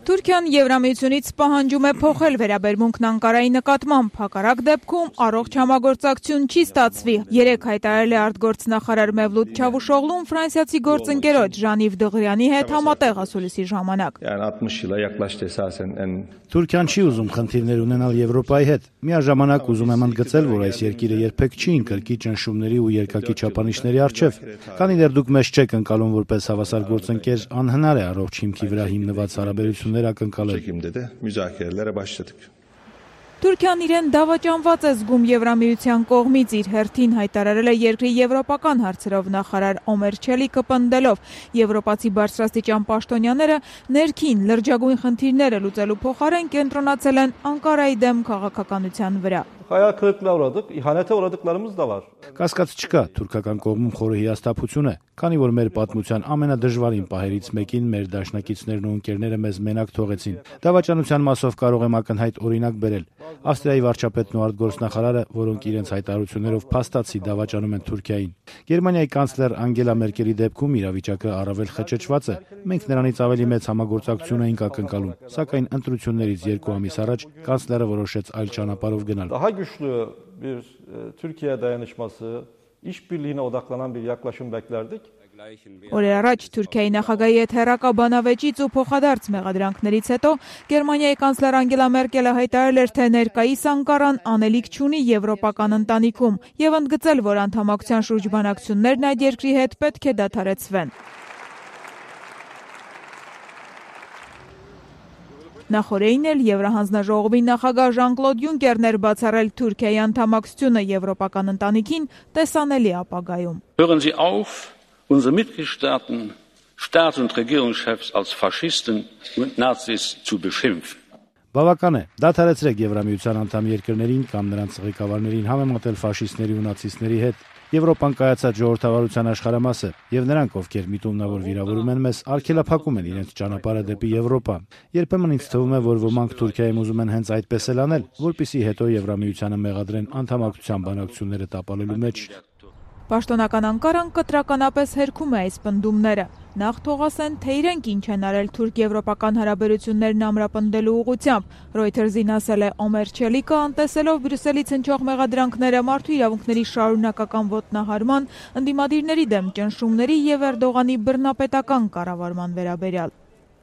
Թուրքիան Եվրամիությունից պահանջում է փոխել վերաբերմունքն Անկարայի նկատմամբ, հակառակ դեպքում առողջ համագործակցություն չի ստացվի։ Երեկ հայտարարել է արտգործնախարար Մևլութ Չավուշօղլուն ֆրանսիացի գործընկերոջ Ժանիվ Դղրյանի հետ համատեղ ասուլիսի ժամանակ։ Թուրքիան չի ուզում խնդիրներ ունենալ Եվրոպայի հետ։ Միաժամանակ ուզում եմ ընդգծել, որ այս երկիրը երբեք չի ընկրկի ճնշումների ու երկակի չափանիշների առջև։ Քանի դեռ դուք մեզ չեք ընկալում որպես հավասար գործընկեր, անհնար է առողջ հիմքի վրա հիմնված հարաբերություններ ակնկալել։ Թուրքիան իրեն դավաճանված է զգում Եվրամիության կողմից, իր հերթին հայտարարել է երկրի եվրոպական հարցերով նախարար Օմեր Չելիկը պնդելով, եվրոպացի բարձրաստիճան պաշտոնյաները ներքին լրջագույն խնդիրները լուծելու փոխարեն կենտրոնացել են Անկարայի դեմ քաղաքականության վրա։ Hayal kırıklığına uğradık, ihanete uğradıklarımız da var. Կասկած չկա, թուրքական կողմում խորը հիասթափություն է, քանի որ մեր պատմության ամենադժվարին պահերից մեկին մեր դաշնակիցներն ու ընկերները մեզ մենակ թողեցին։ Դավաճանության մասով կարող եմ ակնհայտ օրինակ բերել։ Ավստրիայի վարչապետն ու արտգործնախարարը, որոնք իրենց հայտարարություններով փաստացի դավաճանում են Թուրքիային։ Գերմանիայի կանցլեր Անգելա Մերկելի դեպքում իրավիճակը առավել խճճված է։ Մենք նրանից ավելի մեծ համագործակցություն էինք ակնկալում, սակայն ընտրություններից 2 ամիս առաջ կանցլերը որոշեց այլ ճանապարհով գնալ։ Daha güçlü bir Türkiye dayanışması, işbirliğine odaklanan bir yaklaşım beklerdik. Օրեր առաջ Թուրքիայի նախագահի հետ հեռակա բանավեճից ու փոխադարձ մեղադրանքներից հետո Գերմանիայի կանցլեր Անգելա Մերկելը հայտարարել էր, թե ներկայիս Անկարան անելիք չունի եվրոպական ընտանիքում եւ ընդգծել, որ անդամակցության շուրջ բանակցություններն այդ երկրի հետ պետք է դադարեցվեն։ Նախորդին էլ Եվրահանձնաժողովի նախագահ Ժան-Կլոդ Յունկերն էր բացառել Թուրքիայի անդամակցությունը եվրոպական ընտանիքին տեսանելի ապագայում։ Hören Sie auf, unsere Mitgliedstaaten, Staats- und Regierungschefs als Faschisten und Nazis zu beschimpfen. Բավական է, դադարեցրեք Եվրամիության անդամ երկրներին կամ նրանց ղեկավարներին համեմատել ֆաշիստների ու նացիստների հետ։ Եվրոպան կայացած ժողովրդավարության աշխարհամաս է, եւ նրանք, ովքեր միտումնավոր վիրավորում են մեզ, արգելափակում են իրենց ճանապարհը դեպի Եվրոպա։ Երբեմն ինձ թվում է, որ ոմանք Թուրքիայում ուզում են հենց այդպես էլ անել, որպեսզի հետո Եվրամիությանը մեղադրեն անդամակցության բանակցությունները տապալելու մեջ։ Պաշտոնական Անկարան կտրականապես հերքում է այս պնդումները։ Նախ թող ասեն, թե իրենք ինչ են արել թուրք-եվրոպական հարաբերություններն ամրապնդելու ուղղությամբ։ Reuters-ին ասել է Օմեր Չելիկը, անտեսելով Բրյուսելից հնչող մեղադրանքները մարդու իրավունքների շարունակական ոտնահարման, ընդդիմադիրների դեմ ճնշումների եւ Էրդողանի բռնապետական կառավարման վերաբերյալ։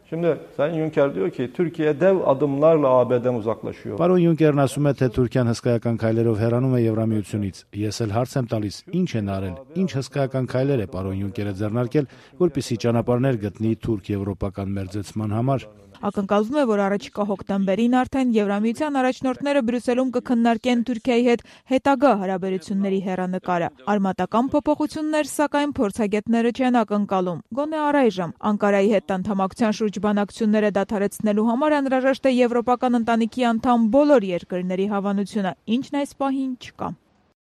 Şimdi Sayın Juncker diyor ki Türkiye dev adımlarla AB'den uzaklaşıyor. Պարոն Յունկերն ասում է, թե Թուրքիան հսկայական քայլերով հեռանում է Եվրամիությունից։ Ես էլ հարց եմ տալիս, ինչ են արել, ինչ հսկայական քայլեր է պարոն Յունկերը ձեռնարկել, որպեսզի ճանապարհներ գտնի թուրք-եվրոպական մերձեցման համար։ Ակնկալվում է, որ առաջիկա հոկտեմբերին արդեն Եվրամիության առաջնորդները Բրյուսելում կքննարկեն Թուրքիայի հետ հետագա հարաբերությունների հեռանկարը։ Արմատական փոփոխություններ, սակայն փորձագետները չեն ակնկալում։ Գոնե առայժմ Անկարայի հետ անդամակցության շուրջ բանակցությունները դադարեցնելու համար անհրաժեշտ է եվրոպական ընտանիքի անդամ բոլոր երկրների հավանությունը, ինչն այս պահին չկա։